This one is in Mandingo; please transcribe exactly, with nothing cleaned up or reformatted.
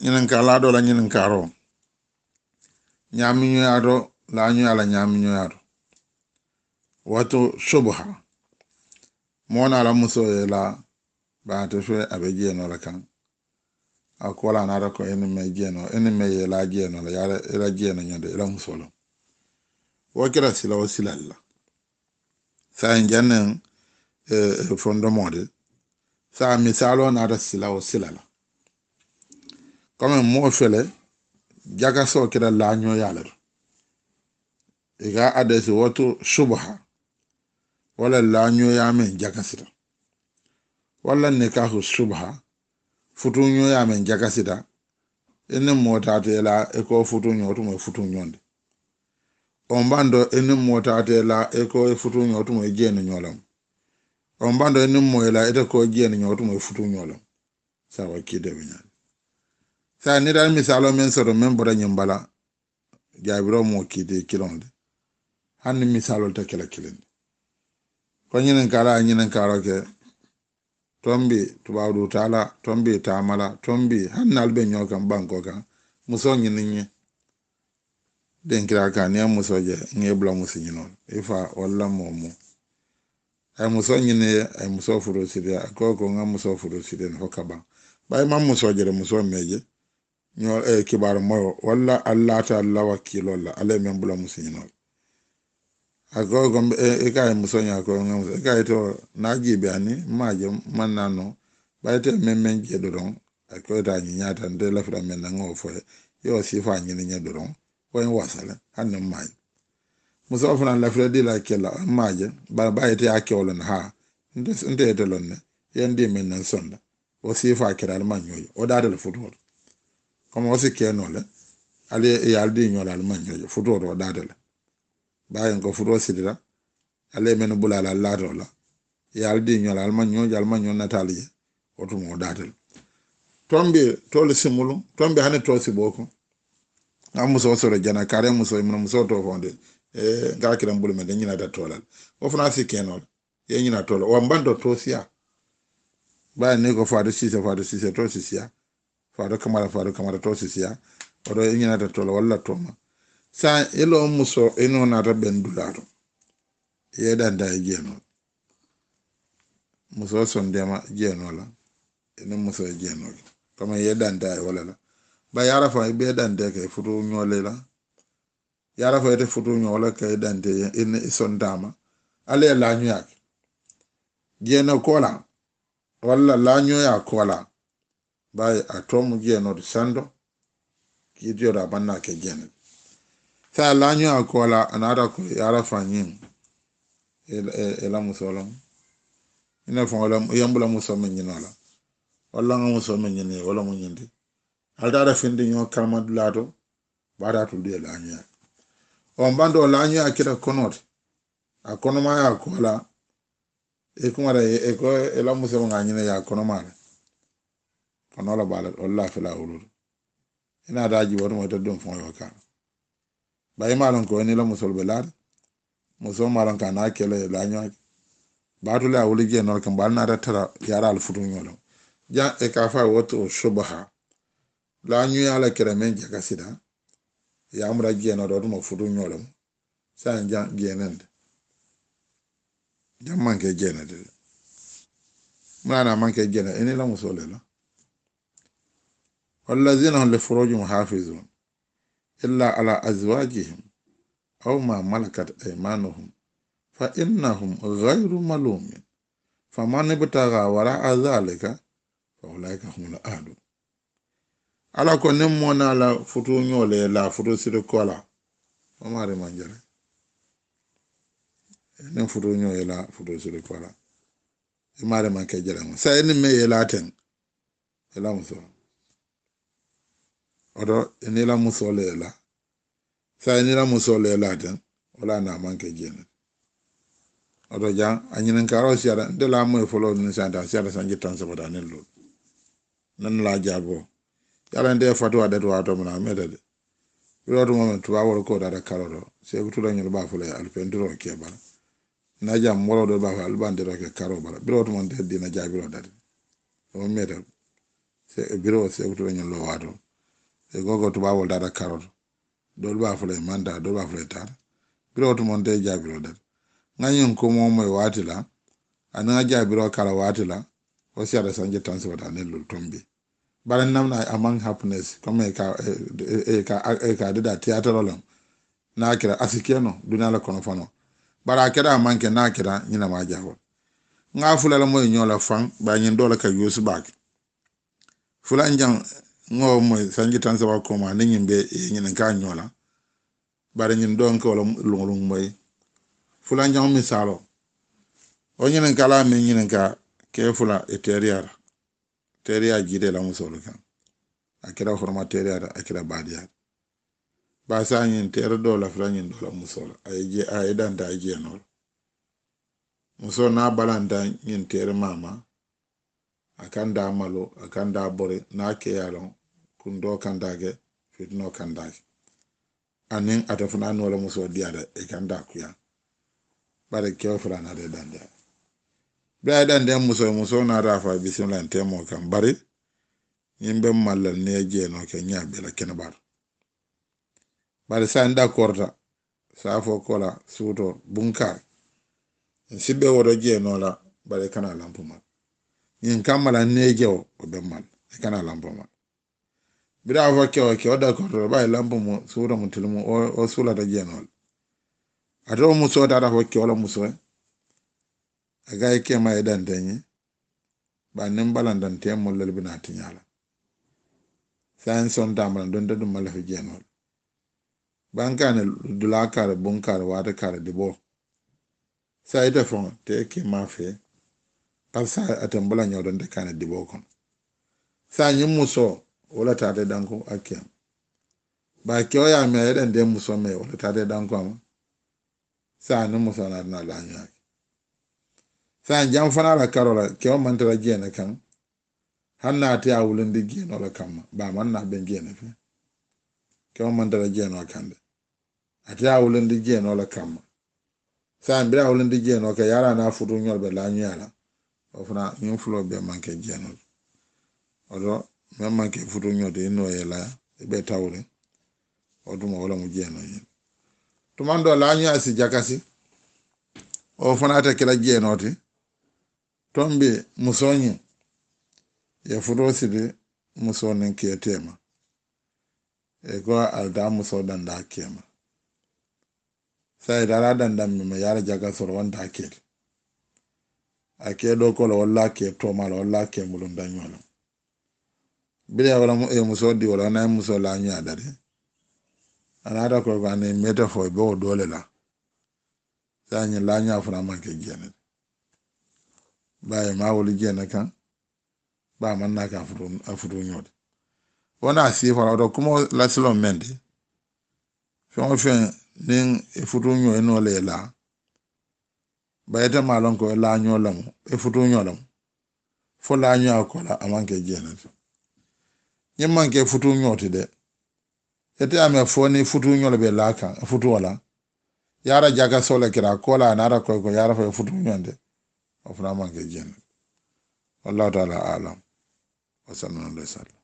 Ñininkaa laa doo la ñininkaaroo, ñaamiñoyaa to, laa ñoyaa la ñaamiñoyaa to. Wato subuha, moo naa la musoo ye laa, baa te fee a be jeenoo la kaŋ. A ko la naata ko i ni mee jeenoo i ni mee ye laa jeenoo la yaara i la jeeno ñoo de i la musoo la. Wo kira sila wo silal la. Saayiŋ janniŋ fondomoo de, saayiŋ misaaloo naata sila wo sila la. Komi moo fele jakasoo keta laañooyaa le to. I ka a deesi wo tu subaha, wo le laañooyaa meŋ jakasita. Walla nikaahu subaha, futuuñooyaa meŋ jakasita. I niŋ moo taata i la i ko futuuñoo wo tumoo i futuuñondi. Wo mbanto i niŋ moo taata i la i ko i futuuñoo wo tumoo i jeeni ñoo lemu. Wo mbanto i niŋ moo i la ite ko i jeeni ñoo wo tumoo i futuuñoo lemu. Saawa kiitee be ñaani. Saayiŋ niŋ i taata misaaloo meŋ soto meŋ bota ñiŋ bala, jaabiroo moo kiitee kiliŋo le. Hani niŋ misaaloo le te ke la kiliŋ ti. Ko ñininkaaroo ye ñininkaaroo ke, tombi tubaabu duu taa la, tombi taama la, tombi hani naalu be ñoo kaŋ bankoo kaŋ. Musoo ñini ñiŋ dinkiraa kaŋ niŋ i ye musoo je, ŋa i bula musu ñinoo le i faa walla moo mu. A ye musoo ñini ye, a ye musoo futuu sitiyaa a ko ko ŋa musoo futuu sitiyaa ne fo ka baŋ. Bari i maŋ musoo je de musoo mee je ñoo kibaaru moyoo walla allaata alla wakiiloo la alla ye meŋ bula musu ñinoo le. A ko ko i ka a ye musoo ñaa ko ŋa musoo i ka a ye to naa jiibi a ni maa je maŋ naa noo. Bari ite meŋ meŋ jee doroŋ a ko ite a ñiñaata nte lafita meŋ na ŋa wo fo ye. Ye wo siifaa ñini ñe doroŋ wo ye wasa le. Hani niŋ maa ye musoo fanaŋ lafita dii la ke la maa je. Bari baa ite ye a ke wo loŋ ne haa nte ite loŋ ne ye n dii meŋ na n sonda. Wo siifaa kere ali maŋ ñoo je wo daata le futuwo to. Komi wo si ke noo le ali ye ali dii ñoo le ali maŋ ñoo je futuwo to wo daata le. Baayiŋ ko futoo sitita. Alla ye mennu bula a la laatoo la i ye ali dii ñoo la ali maŋ ñoo je ali maŋ ñoo nataali je. Wo tumoo daata le. Tombi toolu simulu tombi hani too siboo ko. Ŋa musoo soro jana kaari musoo i muna musoo too foŋ de. Ŋa a kiraŋ bulu meŋ de ñinata too la le. Wo fanaa si keenoo le. Ye ñina too la wo mbanto too siyaa. Baayiŋ niŋ i ko faatu siisee faatu siisee too si siyaa. Faatu kamara faatu kamara too si siyaa. Wo to i ñinata too la walla too ma. Saayiŋ i loo musoo i noo naata beŋ dulaa to. I ye i dantaa i jeenoo la. Musoo sondeema jeenoo la. I niŋ musoo ye jeenoo ke komi i ye i dantaa ye wo le la. Bari yaara faŋ i be i dantee ke i futuu ñoo le la. Yaara faŋ ite futuu ñoo wo le ka i dantee ye i sontaa ma. Alla ye laañuyaa ke jeenoo koolaa walla laañuyaa koolaa. Baayi a too mu jeenoo ti sando. Kiitiyo ti a maŋ naa ke jeene ti. Saayiŋ laañuyaa koolaa a naata ko yaara faŋ ñiŋ i la musoo loŋ. I ne faŋo le i ye n bula musoo meŋ ñinoo la. Walla ŋa musoo meŋ ñini ye wo le mu ñiŋ ti. Ali taata finti ñoo kalamandulaa to. Baata tulu ye laañuyaa. Wo mbanto laañuyaa keta konoo ti. A konomaayaa koolaa. I kumata i ko i la musoo ŋa ñini ye a konomaa le. Konoo le baa le walla a fela wuluutu. I naata a jiibooti mo ite duŋ faŋo yo kaa. Bari i maaloŋ ko i niŋ i la musoolu be laa de. Musoo maaloŋ ka a naa ke le ye laañuyaa ke. Baatu le a wuli jee noo le kaŋ bari naata tara yaaraalu futuŋ ñoo le. Jaŋ i ka a fo a ye wo to subaha. Laañuyaa la kere meŋ jakasita. Ye a mura jee noo le wo tuma futuŋ ñoo le mu. Saayiŋ jaŋ jeeneŋ de. Jaŋ maŋ ke jeeneŋ de. Mu ye a naa maŋ ke jeeneŋ i niŋ i la musoo le la. Wallazina hum li furujihim hafizun. Illa ala azwajihim aw ma malakat aymanuhum fa innahum ghayru malumin. Faman ibtaga waraa zalika fa ulaika humul adun. Alla ko niŋ moo naa la futuuñoo le ye laa futuu siti koolaa. Wo maari maŋ jere. Niŋ futuuñoo ye laa futuu siti koolaa. I maari maŋ ke jere ŋo sayi niŋ meŋ ye laa teŋ. I la musoo woto i niŋ i la musoo le ye laa. Saayiŋ niŋ i la musoo le ye laa teŋ. Wo le a naa maŋ ke jee ne. Woto jaŋ a ñininkaaroo siyata nte la a moyi foloo niŋ santa a siyata sanji taŋ saba taa niŋ luulu. Naŋ na la a jaaboo. Ye a la nte ye fatuwaa dati waatoo mu na a meeta de. Biroo tumoo meŋ tubaaboolu ka wo daata karoo to seeku tulañolu be a fo le ye ali pentiroo ke bala. Niŋ a jaŋ mooloo doolu be a fo ali be a nteroo ke karoo bala biroo tumoo nte ye diina jaabiroo dati. Wo meeta. biroo seekutu la ñiŋ loo waatoo. Ì ko ko tubaaboo le taata karoo to. Doolu be a fo la ì maŋ taa, doolu be a fo la ì taata. Biroo tumonte ì jaabiroo dati. Ŋa ñiŋ kumoo moyi waati la, aniŋ ŋa jaabiroo kala waati la, wo siyaata sanji taŋ saba taa niŋ lulu tombi. Bari n namna a maŋ happiness comme ì ka ì ka ì ka a didaa tiyaataroo le. Niŋ a keta a si ke noo duniyaa le kono fanoo. Bari a keta a maŋ ke niŋ a keta ñiŋ ne maŋ a jafoo. Ŋa a fula le moyi ñoo la faŋ bari ñiŋ doo le ka yuusu baake. Fulanjaŋ ŋa wo moyi sanji taŋ saba koomaa niŋ ñiŋ be ì ye ñininkaa ñoo la. Bari ñiŋ doo n ka wo le luŋoluŋ moyi. Fulanjaŋo misaaloo, wo ñininkalaa meŋ ñininkaa kee fula ì teeriyaa la. Teeriyaa jiita ì la musoolu kaŋ. A keta horoma teeriyaa la a keta baadiyaa la. Baa saayiŋ ñiŋ teeri doo la fula ñiŋ doo la musoo la a ye i danta a ye jeenoo la. Musoo niŋ a balanta ñiŋ teeri maamaa, a kaŋ daa maloo a kaŋ daa bori niŋ a ke ye a loŋ. Kuntoo kaŋ daa ke fitinoo kaŋ daa ke. Aniŋ ate fanaa niŋ wo le musoo diyaata ì kaŋ daa kuyaa. Bari kewo fanaa naata ì dandiyaa. Bee a ye dandiyaa musoo ye musoo naata a fo a ye bisimilaa n teemoo kaŋ bari ñiŋ be malla niŋ ì ye jeenoo ke ñaa bee la kene baato. Bari saayiŋ dakoorita saafoo koolaa suutoo bunkaari. N si be wo to jeenoo la bari ì kana lampu maa. Ñiŋ kamma la niŋ ì ye jewo wo be malla ì kana lampu maa. Biriŋ a fo kewo kewo dakoorita bari lampu mu suutoo mu tilimu wo suulata jeenoo la. Ate wo musoo taata fo kewo la musoo ye. A ka ye keemaa ye dante ñiŋ bari niŋ balanta n teemoo lelu bi naa tiñaa la. Saayiŋ sontaa mala donte duŋ ma lafi jeenoo la. Baŋ kaani dulaa kaari buŋ kaari waati kaari diboo. Saayiŋ ite faŋo te ye keemaa fee. Bari saayiŋ ate n bula ñoo to nte kaani diboo kono. Saayiŋ ñiŋ musoo wo le taata i danku a keema. Bari kewo ye a mee a ye dante musoo mee wo le taata i danku a ma. Saayiŋ niŋ musoo naata naa laañaa ke. Saayiŋ jaŋ fanaa la karoo la kewo maŋ tara jee ne kaŋ. Hani niŋ ate ye a wulindi jeenoo le kamma baa maŋ naa beŋ jee ne fee. Kewo maŋ tara jeenoo kaŋ de. Ate ye a wulindi jeenoo le kamma. Saayiŋ biriŋ a wulindi jeenoo kaŋ yaara a niŋ a futuu ñoo le be laañuyaa la. Wo fanaa ñiŋ fuloo bee maŋ ke jeenoo le. Wo to meŋ maŋ ke futuu ñoo ti i noo ye laa i be tawuriŋ. Wo tuma wo le mu jeenoo ñiŋ. Tumaŋ doo laañuyaa si jakasi. Wo fanaa te ke la jeenoo ti. Tombi musoo ñiŋ ì ye futoo siti musoo niŋ kee teema. Ì ko ali taa musoo dandaa keema. Saayiŋ ì taata dandaŋ meŋ ma yaara jaka soro wo ntaa kee ti. A kee doo ko le walla a kee toomaa le walla a kee mulunta ñoo le. Biriŋ ye wo le mu ì ye musoo dii wo le wo naa ye musoo laañuyaa dati. A naata ko ko a niŋ ì meeta fo ì be wo doo le la. Saayiŋ ñiŋ laañaa fanaa maŋ ke jee ne ti. Baa ì maŋ a wuli jee ne kaŋ. Baa a maŋ naa ke a futuu a futuu ñoo ti. Wo naa sii fanaa wo to kumoo la siloo meŋ ti. Feŋ wo feŋ niŋ ì futuu ñoo ì noo le ye laa. Baa ite maŋ a loŋ ko ì laañoo lemu ì futuu ñoo lemu. Fo laañoo a ko la a maŋ ke jee ne ti. Ñiŋ maŋ ke futuu ñoo ti de. Ite a mee fo niŋ futuu ñoo le be laa kaŋ futuo la. Yaara jaka soo le kira ko la a naata koyi ko yaara fo ye futuu ñoo ti. Wo fanaa maŋ ke jee ne ti. Wallahu taala alam. Wa sallallahu alayhi wa sallam.